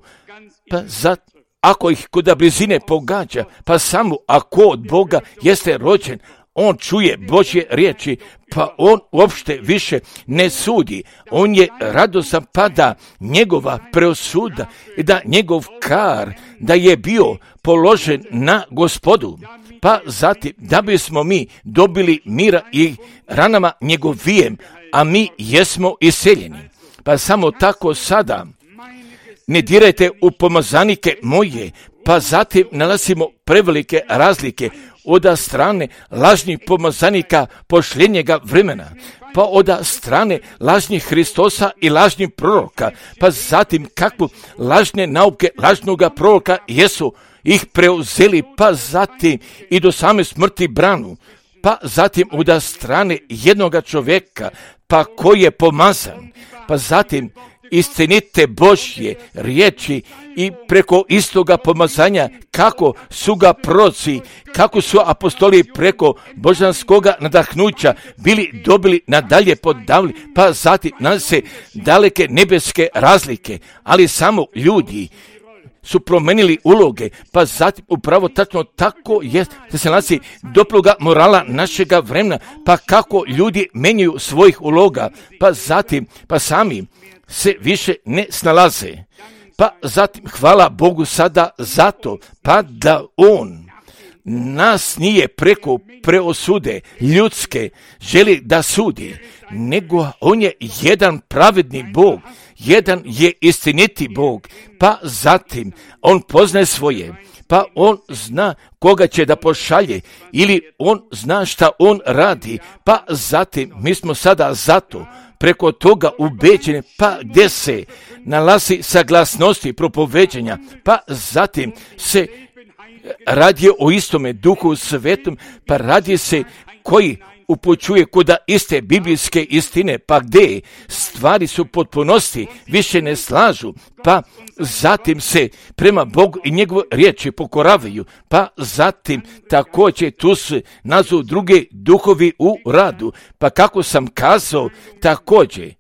pa zatim, ako ih kod blizine pogađa, pa samo ako od Boga jeste rođen, on čuje Božje riječi, pa on uopšte više ne sudi. On je radosan, pa da njegova preosuda i da njegov kar da je bio položen na Gospodu. Pa zatim da bismo mi dobili mira i ranama njegovijem, a mi jesmo iseljeni. Pa samo tako sada ne dirajte u pomazanike moje, pa zatim nalazimo prevelike razlike od strane lažnih pomazanika posljednjega vremena, pa od strane lažnih Hristosa i lažnih proroka, pa zatim kakvu lažne nauke lažnoga proroka jesu ih preuzeli, pa zatim i do same smrti branu, pa zatim od strane jednoga čovjeka, pa koji je pomazan, pa zatim istinite Božje riječi i preko istoga pomazanja kako su ga proroci, kako su apostoli preko božanskoga nadahnuća bili dobili nadalje podavili, pa zatim nam se daleke nebeske razlike, ali samo ljudi su promenili uloge, pa zatim upravo tačno tako je da se nalazi doploga morala našega vremena, pa kako ljudi menjaju svojih uloga, pa zatim, pa sami se više ne snalaze. Pa zatim hvala Bogu sada zato, pa da on nas nije preko preosude ljudske želi da sudi, nego on je jedan pravedni Bog, jedan je istiniti Bog, pa zatim on poznaje svoje, pa on zna koga će da pošalje ili on zna šta on radi, pa zatim mi smo sada zato preko toga ubeđeni, pa gdje se nalazi saglasnosti propoveđenja, pa zatim se radi o istome Duhu Svetom, pa radi se koji upućuje kuda iste biblijske istine, pa gdje stvari su potpunosti više ne slažu, pa zatim se prema Bogu i njegove riječi pokoravaju, pa zatim također tu se nazovu druge duhovi u radu, pa kako sam kazao također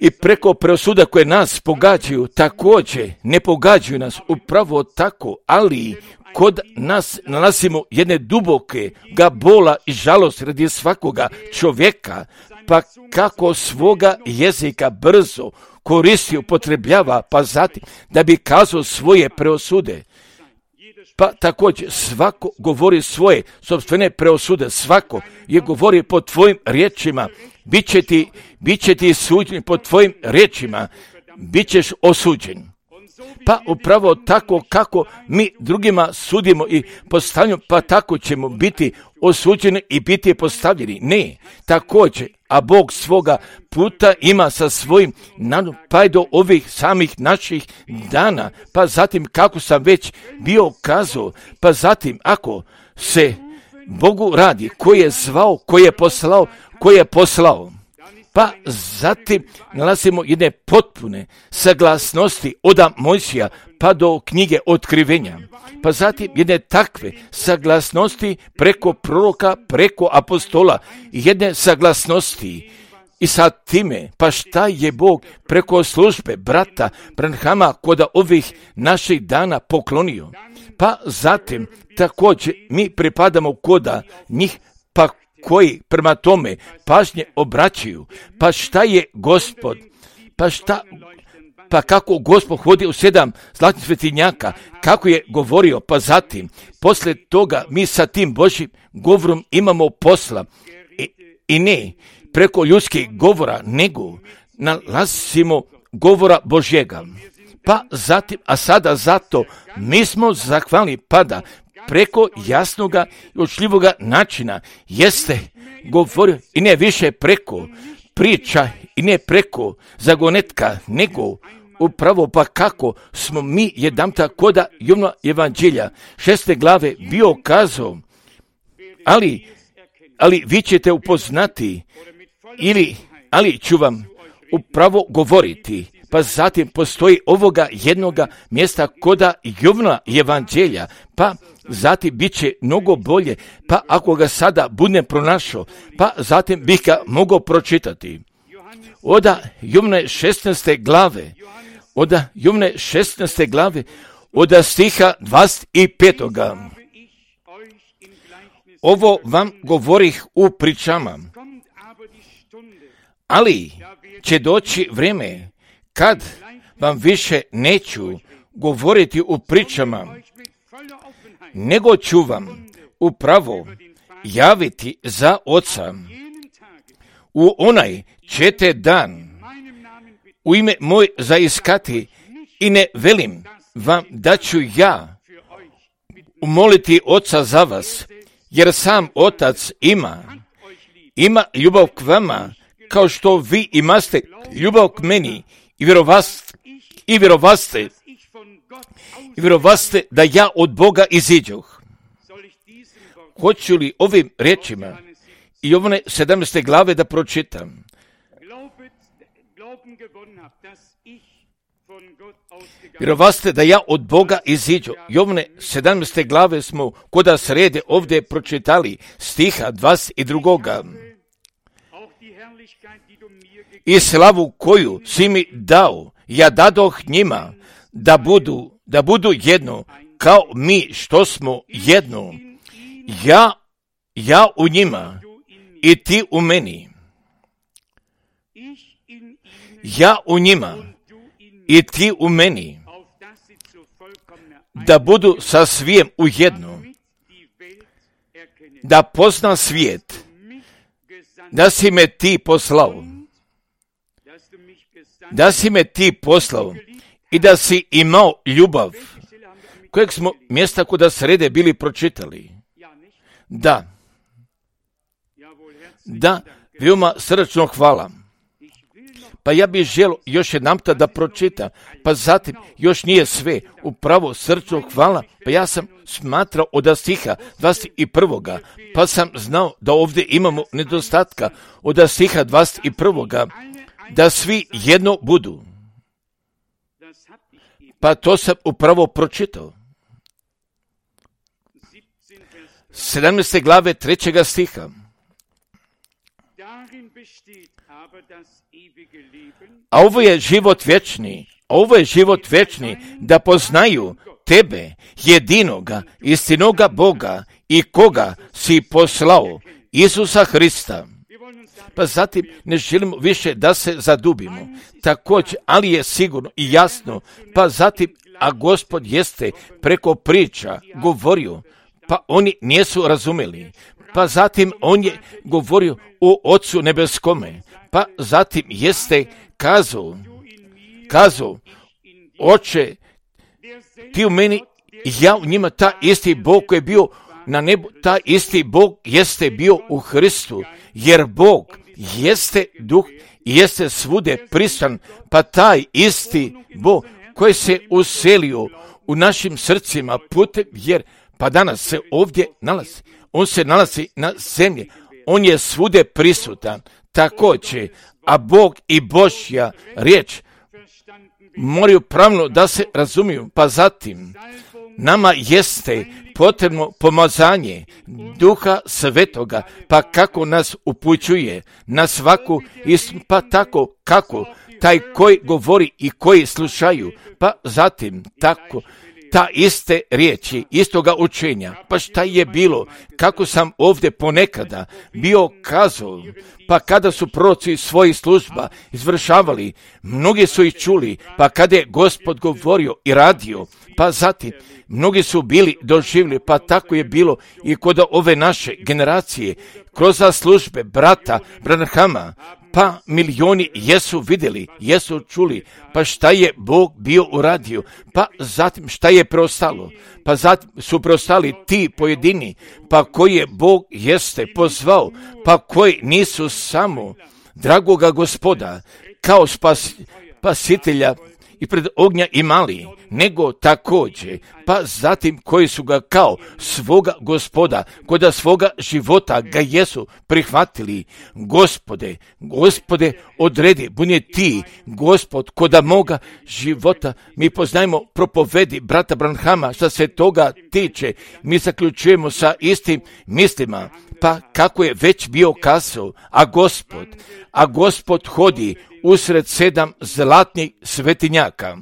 i preko preosuda koje nas pogađaju, također ne pogađaju nas upravo tako, ali kod nas nalazimo jedne duboke bola i žalost radi svakoga čovjeka, pa kako svoga jezika brzo koristi, upotrebljava, pa zatim da bi kazao svoje preosude. Pa također svako govori svoje sopstvene preosude, svako je govori po tvojim riječima, bit će ti suđen po tvojim riječima, bit ćeš osuđen. Pa upravo tako kako mi drugima sudimo i postavljamo, pa tako ćemo biti osuđeni i biti postavljeni. Ne, također, a Bog svoga puta ima sa svojim nadom, pa i do ovih samih naših dana, pa zatim kako sam već bio kazao, pa zatim ako se Bogu radi, koji je zvao, koji je poslao, pa zatim nalazimo jedne potpune saglasnosti od Mojsija pa do knjige Otkrivenja. Pa zatim jedne takve saglasnosti preko proroka, preko apostola, jedne saglasnosti. I sad time, pa šta je Bog preko službe brata Branhama kod ovih naših dana poklonio? Pa zatim također mi pripadamo koda njih, pa koji prema tome pažnje obraćaju, pa šta je Gospod, pa kako Gospod hodi u 7 zlatnih svetinjaka, kako je govorio, pa zatim, poslije toga mi sa tim Božjim govorom imamo posla i ne preko ljudskih govora, nego nalazimo govora Božjega. Pa zatim, a sada zato mi smo zahvalni pada preko jasnoga i učljivoga načina jeste govorio i ne više preko priča i ne preko zagonetka, nego upravo pa kako smo mi jedanputa koda Jovna evanđelja 6. glave bio kazao, ali vi ćete upoznati ali ću vam upravo govoriti. Pa zatim postoji ovoga jednoga mjesta koda Jovna evanđelja, pa zatim bit će mnogo bolje, pa ako ga sada budem pronašao, pa zatim bih ga mogao pročitati. Oda Jovne 16. glave, oda stiha 25. Ovo vam govorih u pričama, ali će doći vrijeme kad vam više neću govoriti u pričama, nego ću vam upravo javiti za Oca. U onaj ćete dan u ime moj zaiskati i ne velim vam da ću ja umoliti Oca za vas, jer sam Otac ima ljubav k vama, kao što vi imaste ljubav k meni i vjerovaste da ja od Boga iziđoh. Hoću li ovim riječima i Jovne 17. glave da pročitam? Vjerovaste da ja od Boga iziđu. Jovne 17. glave smo koda srede ovdje pročitali stiha 22. I slavu koju si mi dao, ja dadoh njima da budu jedno, kao mi što smo jedno. Ja u njima i ti u meni. Ja u njima i ti u meni, da budu sa svijem u jedno, da pozna svijet, da si me ti poslao i da si imao ljubav, kojeg smo mjesta kuda srede bili pročitali. Da, veoma srdačno hvala. Pa ja bih želio još jedanputa da pročitam, pa zatim još nije sve, upravo srdačno hvala, pa ja sam smatrao od stiha 21. pa sam znao da ovdje imamo nedostatka od stiha 21. da svi jedno budu. Pa to sam upravo pročitao. 17. glave 3. stiha. A ovo je život vječni, da poznaju tebe, jedinoga, istinoga Boga i koga si poslao, Isusa Hrista. Pa zatim ne želimo više da se zadubimo. Također, ali je sigurno i jasno, pa zatim, a Gospod jeste preko priča govorio, pa oni nisu razumjeli. Pa zatim on je govorio o Ocu nebeskome, pa zatim jeste kazao, Oče, ti u meni, ja u njima, ta isti Bog koji je bio na nebu, ta isti Bog jeste bio u Hristu, jer Bog jeste duh i jeste svude prisutan, pa taj isti Bog koji se uselio u našim srcima putem, jer pa danas se ovdje nalazi, on se nalazi na zemlji, on je svude prisutan, također, a Bog i Božja riječ moraju pravilno da se razumiju, pa zatim nama jeste potrebno pomazanje Duha Svetoga, pa kako nas upućuje na svaku istinu, pa tako kako taj koji govori i koji slušaju, pa zatim tako ta iste riječi, istoga učenja, pa šta je bilo, kako sam ovdje ponekada bio kazao, pa kada su proroci svojih služba izvršavali, mnogi su ih čuli, pa kada je Gospod govorio i radio, pa zatim mnogi su bili doživjeli, pa tako je bilo i kod ove naše generacije, kroz službe brata Branhama, pa milijoni jesu vidjeli, jesu čuli, pa šta je Bog bio uradio, pa zatim šta je preostalo, pa zatim su preostali ti pojedini, pa koje Bog jeste pozvao, pa koji nisu samo dragoga Gospoda kao spasitelja i pred ognja imali, nego također, pa zatim koji su ga kao svoga Gospoda, koda svoga života ga jesu prihvatili. Gospode, odredi, bunje ti, Gospod, koda moga života. Mi poznajemo propovedi brata Branhama, što se toga tiče, mi zaključujemo sa istim mislima, pa kako je već bio kazao, a Gospod hodi usred 7 zlatnih svetinjaka,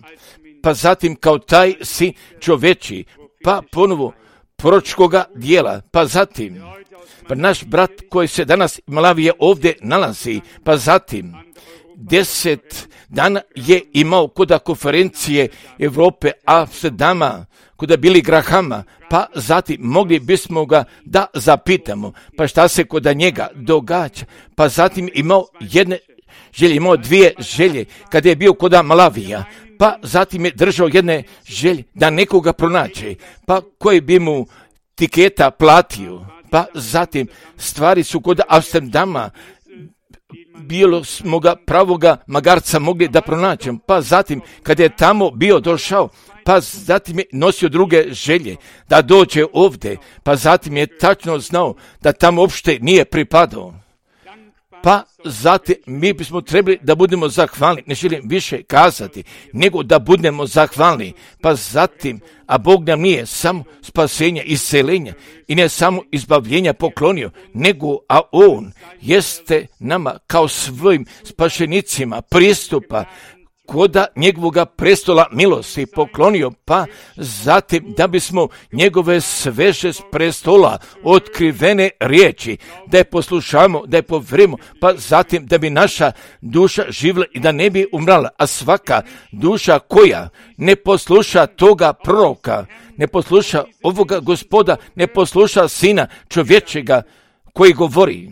pa zatim kao taj sin čoveči, pa ponovo proročkoga dijela, pa zatim pa naš brat koji se danas Malavije ovdje nalazi, pa zatim 10 dana je imao koda konferencije Europe Amsterdama, koda Billy Grahama, pa zatim mogli bismo ga da zapitamo, pa šta se koda njega događa, pa zatim imao dvije želje kada je bio koda Malavija, pa zatim je držao jedne želje da nekoga pronađe, pa koji bi mu tiketa platio, pa zatim stvari su kod Amsterdama, bilo smo ga pravoga magarca mogli da pronađemo, pa zatim kada je tamo bio došao, pa zatim je nosio druge želje da dođe ovdje, pa zatim je tačno znao da tamo uopšte nije pripadao. Pa zatim mi bismo trebali da budemo zahvalni, ne želim više kazati, nego da budemo zahvalni, pa zatim, a Bog nam nije samo spasenja, isceljenja i ne samo izbavljenja poklonio, nego, a On jeste nama kao svojim spašenicima pristupa koda njegovoga prestola milosti poklonio, pa zatim da bismo njegove sveže s prestola otkrivene riječi, da je poslušamo, da je povjerimo, pa zatim da bi naša duša živjela i da ne bi umrala, a svaka duša koja ne posluša toga proroka, ne posluša ovoga Gospoda, ne posluša Sina čovječega koji govori,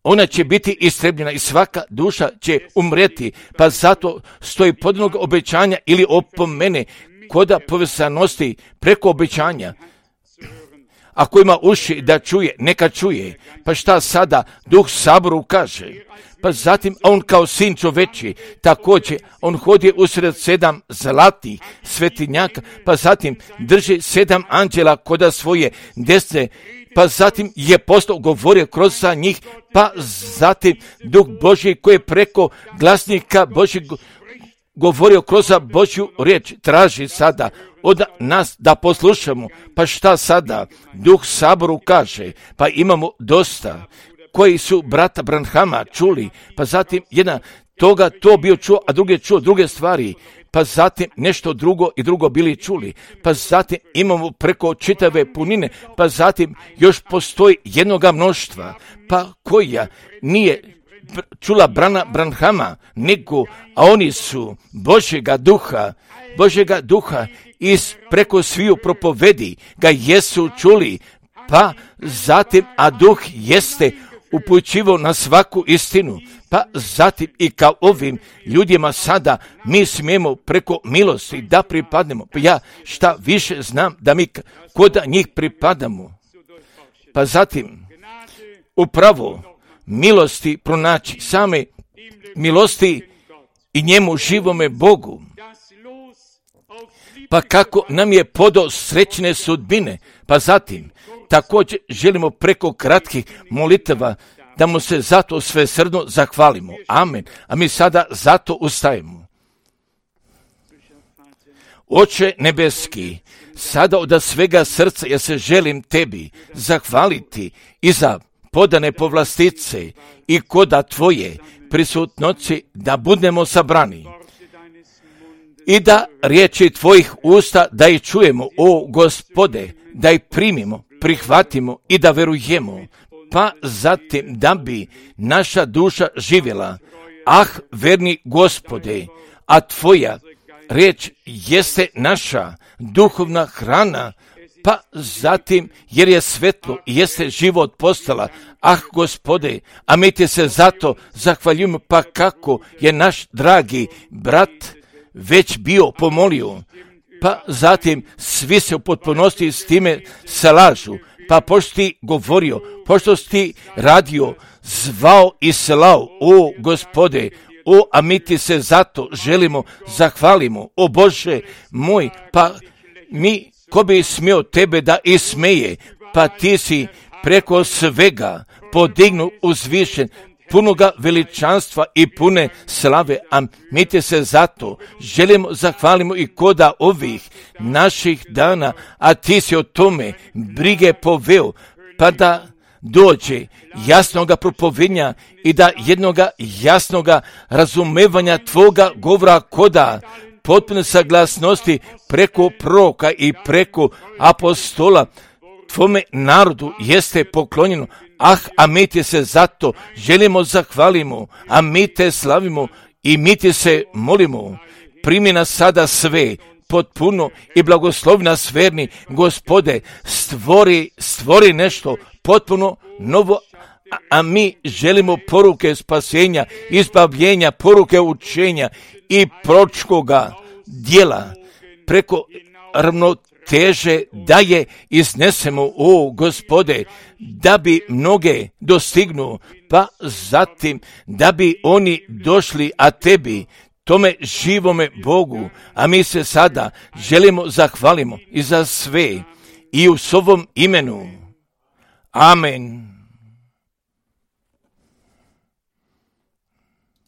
ona će biti istrebljena i svaka duša će umreti, pa zato stoji podnog obećanja ili opomene koda povezanosti preko obećanja. Ako ima uši da čuje, neka čuje. Pa šta sada Duh Saboru kaže? Pa zatim on kao sin čoveči, također on hodi usred 7 zlatih svetinjaka, pa zatim drži 7 anđela koda svoje desne, pa zatim je postao govorio kroz njih, pa zatim Duh Božji koji je preko glasnika Božjeg govorio kroz Božju riječ, traži sada od nas da poslušamo. Pa šta sada Duh Saboru kaže? Pa imamo dosta koji su brata Branhama čuli, pa zatim jedna toga to bio čuo, a drugi čuo druge stvari, pa zatim nešto drugo i drugo bili čuli, pa zatim imamo preko čitave punine, pa zatim još postoji jednoga mnoštva, pa koja nije čula brana Branhama, nego, a oni su Božjega duha iz preko sviju propovedi ga jesu čuli, pa zatim, a duh jeste upućivao na svaku istinu, pa zatim i kao ovim ljudima sada mi smijemo preko milosti da pripadnemo. Pa ja šta više znam da mi kod njih pripadamo. Pa zatim upravo milosti pronaći, same milosti i njemu živome Bogu. Pa kako nam je podao srećne sudbine, pa zatim također želimo preko kratkih molitava da mu se zato svesrdno zahvalimo. Amen. A mi sada zato ustajemo. Oče nebeski, sada od svega srca ja se želim tebi zahvaliti i za podane povlastice i koda tvoje prisutnoći da budemo sabrani. I da riječi tvojih usta da ih čujemo, o Gospode, da ih primimo, prihvatimo i da verujemo, pa zatim da bi naša duša živjela. Ah, verni Gospode, a tvoja riječ jeste naša duhovna hrana, pa zatim jer je svetlo i jeste život postala. Gospode, a mi ti se zato zahvaljujemo, pa kako je naš dragi brat već bio pomolio, pa zatim svi se u potpunosti s time slažu, pa pošto ti govorio, pošto si ti radio, zvao i slao, o Gospode, a mi ti se zato želimo, zahvalimo, o Bože moj, pa mi, ko bi smio tebe da ismeje, pa ti si preko svega podignu uzvišen, punoga veličanstva i pune slave, a mi te se zato želimo, zahvalimo i koda ovih naših dana, a ti si o tome brige poveo, pa da dođe jasnoga propovednja i da jednoga jasnoga razumevanja tvoga govora koda potpune saglasnosti preko proroka i preko apostola tvome narodu jeste poklonjeno. A mi ti se zato želimo, zahvalimo, a mi te slavimo i mi ti se molimo. Primi nas sada sve potpuno i blagoslovi nas verni, Gospode, stvori nešto potpuno novo, a mi želimo poruke spasenja, izbavljenja, poruke učenja i proročkoga djela preko ravnoteže da je iznesemo, o Gospode, da bi mnoge dostignu, pa zatim da bi oni došli, a tebi, tome živome Bogu, a mi se sada želimo, zahvalimo i za sve i u svovom imenu. Amen.